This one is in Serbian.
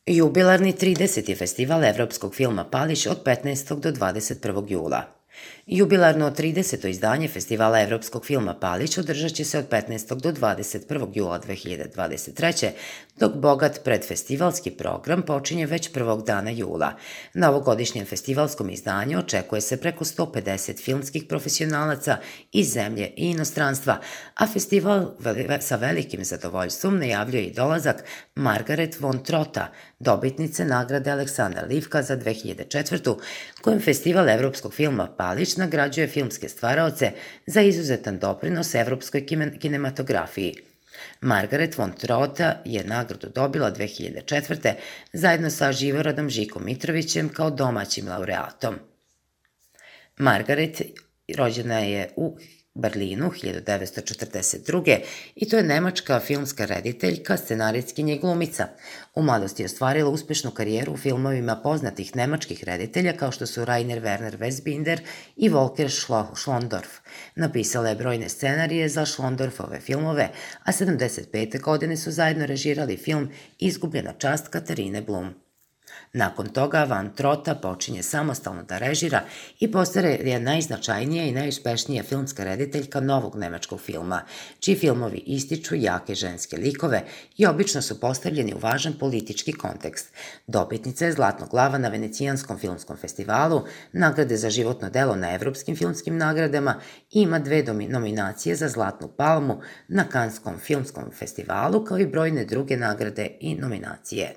Jubilarni 30. festival evropskog filma Palić od 15. do 21. jula. Jubilarno 30. izdanje Festivala evropskog filma Palić održat će se od 15. do 21. jula 2023. dok bogat predfestivalski program počinje već prvog dana jula. Na ovogodišnjem festivalskom izdanju očekuje se preko 150 filmskih profesionalaca iz zemlje i inostranstva, a festival sa velikim zadovoljstvom najavljuje i dolazak Margaret von Trotta, dobitnice nagrade Aleksandar Livka za 2004. kojom Festival evropskog filma Palić nagrađuje filmske stvaraoce za izuzetan doprinos evropskoj kinematografiji. Margaret von Trotta je nagradu dobila 2004. zajedno sa Živoradom Žikom Mitrovićem kao domaćim laureatom. Margaret rođena je u Berlinu 1942. i to je nemačka filmska rediteljka, scenarijskinja i glumica. U mladosti je ostvarila uspešnu karijeru u filmovima poznatih nemačkih reditelja kao što su Rainer Werner Fassbinder i Volker Schlondorf. Napisala je brojne scenarije za Schlondorfove filmove, a 75. godine su zajedno režirali film Izgubljena čast Katarine Blum. Nakon toga Van Trotta počinje samostalno da režira i postaje najznačajnija i najuspešnija filmska rediteljka novog nemačkog filma, čiji filmovi ističu jake ženske likove i obično su postavljeni u važan politički kontekst. Dobitnica je Zlatnog lava na Venecijanskom filmskom festivalu, nagrade za životno delo na Evropskim filmskim nagradama i ima 2 nominacije za Zlatnu palmu na Kanskom filmskom festivalu, kao i brojne druge nagrade i nominacije.